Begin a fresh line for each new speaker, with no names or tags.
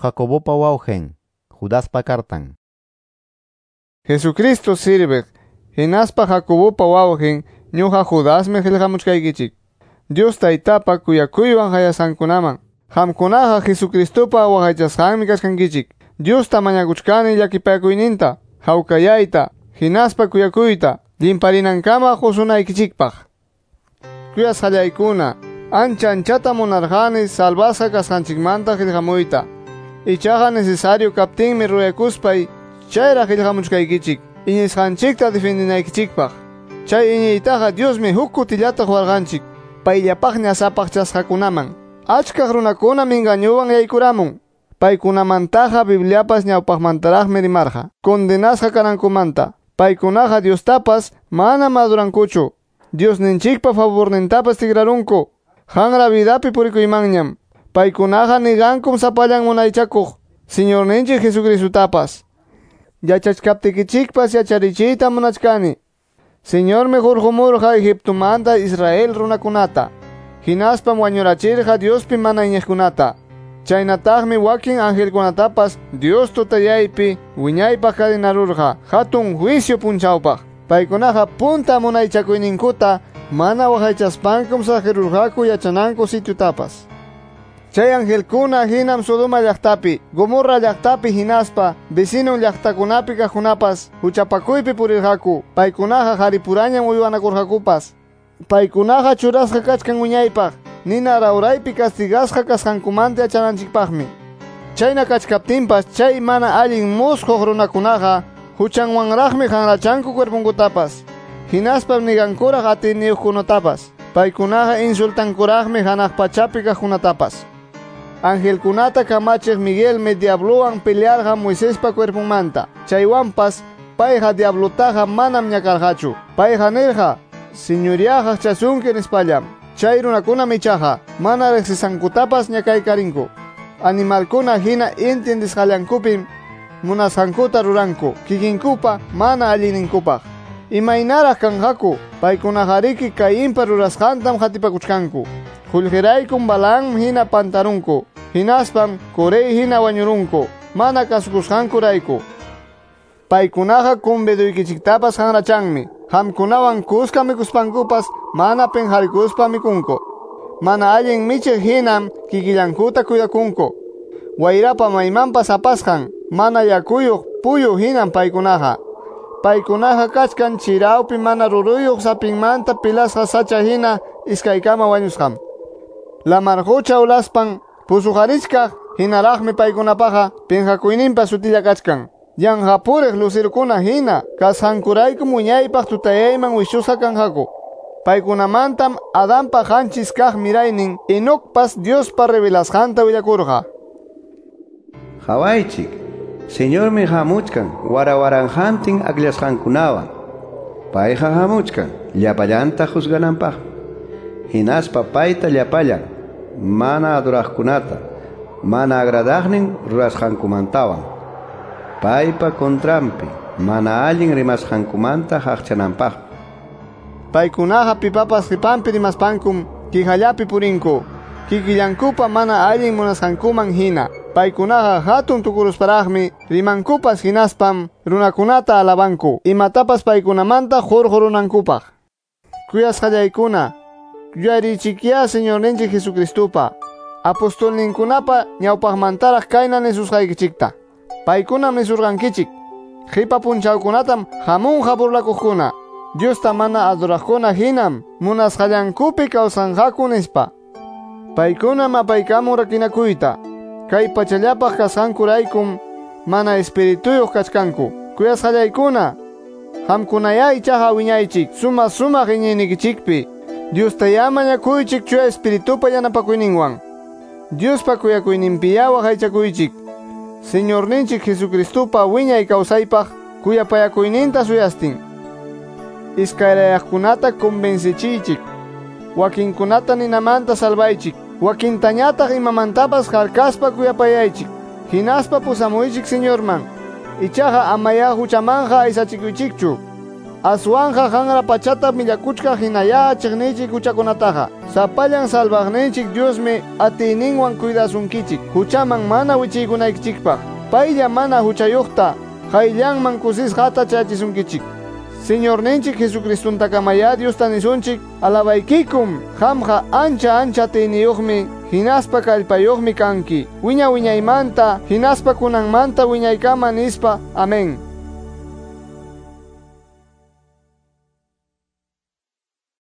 Jacobopa wawqin, Judaspa kartan.
Jesucristo sirviq, hinaspa Jacobopa wawqin, ñuqa Judasmi qillqamuchkaykichik. Dios Taytapa kuyakuywan hayasqankunaman. Qamkunaqa Jesucristopa waqaychasqanmi kachkankichik. Diosta mañakuchkani llakipakuyninta, hawkayayta, hinaspa kuyakuyta, limparinankama qusunaykichikpaq. Kuyasqallaykuna, ancha anchata munarqani salvasqa kasqanchikmanta qillqamuyta. Ichaqa necesario kaptinmi ruyakuspay chayraq qillqamuchkaykichik, iñisqanchikta defendinaykichikpaq. Chay iñiytaqa Diosmi huk kutillata quwarqanchik, payllapaqña sapaqchasqakunaman. Achkaq runakunam engañuwan yaykuramun. Paykunamantaqa Bibliapas ñawpaqmantaraqmi rimarqa, condenasqa kanankumanta. Paykunaqa Diostapas manam adorankuchu. Diosninchikpa favornintapas tikrarunku. Hanra vidapi purikuymanñam. Paykunaqa nigankum sapallan munaychakuq Señorninchik Jesucristotapas. Yachachkaptikichikpas yacharichiyta munachkani. Señormi hurqumurqa Egiptomanta Israel runakunata. Hinaspam wañurachirqa Diospi mana iñiqkunata. Chaynataqmi wakin angelkunatapas Dios tutayaypi wiñaypaq kadenarurqa hatun juicio punchawpaq. Paykunaqa punta munaychakuyninkuta mana waqaychaspankum saqirurqaku yachananku sitiotapas. Chay angelkuna hinam Sodoma llaqtapi, Gomorra llaqtapi hinaspa, vecinon llaqtakunapi kaqkunapas huchapakuypi purirqaku. Paykunaqa qaripurañam uywanakurqakupas. Paykunaqa churasqa kachkan wiñaypaq, nina rawraypi castigasqa kasqankumanta yachananchikpaqmi. Chayna kachkaptinpas chay mana allin musquq runakunaqa huchanwanraqmi hanrachanku cuerpunkutapas. Hinaspam nigankuraq atiyniyuqkunatapas. Paykunaqa insultankuraqmi hanaq pachapi kaqkunatapas. Angelkunata kamachiq Miguelmi diablowan pelearqa Moisespa cuerpunmanta. Chaywanpas payqa diablotaqa manam ñakarqachu. Payqa nirqa, Señoriaqa chasunki nispallam. Chay runakunam ichaqa mana riqsisankutapas ñakaykarinku. Animalkuna hina entiendisqallankupim munasqankuta ruranku, kikinkupa mana allinninkupaq. Imaynaraq kanqaku, paykunaqariki Cainpa rurasqantam qatipakuchkanku. Qullqiraykum Balaam hina pantarunku, hinaspam Coré hina wañurunku, mana kasukusqankurayku. Paykunaqa conviduykichiktapas hanrachanmi, qamkunawan kuska mikuspankupas mana penqarikuspa mikunku. Mana allin michiq hinam kikillankuta cuidakunku. Wayrapa maymanpas apasqan, mana yakuyuq puyu hinam paykunaqa. Paykunaqa kachkan chirawpi mana ruruyuq sapinmanta pilasqa sacha hina iskaykama wañusqam. Lamar qucha ulaspan pusuqarichkaq hinaraqmi paykunapaqa pinqakuyninpa sutilla kachkan. Yanqapuriq lucirukuna hina kasqankuraykum wiñaypaq tutayayman wichusqa kanqaku. Paykunamantam Adanpa qanchis kaq miraynin Enocpas Diospa revelasqanta willakurqa.
Qhawaychik, Señormi hamuchkan warawaranqantin akllashqankunawan. Payqa hamuchkan llapallanta juzgananpaq. Hinaspa payta llapallan mana adoraqkunata, mana agradaqnin rurasqankumantawan. Paypa contranpi mana allin rimasqankumanta haqchananpaq.
Paykunaqa pipapas qipanpi rimaspankum kihallapi purinku. Kikillankupa mana allin munasqankuman hina. Paykunaqa hatun tukurusparaqmi rimankupas hinaspam runakunata alabanku. Imatapas paykunamanta hurqurunankupaq. Kuyasqallaykuna, yuyarichikya Señorninchik Jesucristopa, apostolninkunapa ñawpaqmantaraq kayna nisusqaykichikta. Paykunam nisurqankichik, qipa punchawkunatam hamunqa burlakuqkuna, Diosta mana adoraqkuna hinam munasqallankupi kawsanqaku nispa. Paykunam apaykamun rakinakuyta, kay pachallapaq kasqankuraykum mana espirituyuq kachkanku. Kuyasqallaykuna, qamkunaya ichaqa wiñaychik suma sumaq iñiynikichikpi. Diostayá mañakuychik chuya espiritupa yanapakuyninwan. Diospa kuyakuyninpiya waqaychakuychik. Señorninchik Jesucristopa wiñay kawsaypaq kuyapayakuyninta suyastin. Iskayrayaqkunata convencichiychik. Wakinkunata ninamanta salvaychik. Wakintañataq imamantapas harkaspa kuyapayaychik. Hinaspa pusamuychik Señorman. Ichaqa amaya huchamanqa aysachikuychikchu. Aswanja hanra pachata millakuchka hinaya chiqniychik huchakunataqa. Sapallan salvaqninchik Diosmi atiyninwan cuidasunkichik huchaman mana wichiykunaykichikpaq. Paylla mana huchayuqta qayllanman kusisqata chayachisunkichik. Señorninchik Jesucristontakamayá Diosta nisunchik alabaykikum qamqa ancha ancha atiyniyuqmi hinaspa kallpayuqmi kanki wiña wiñaymanta hinaspa kunanmanta wiñaykama nispa. Amén.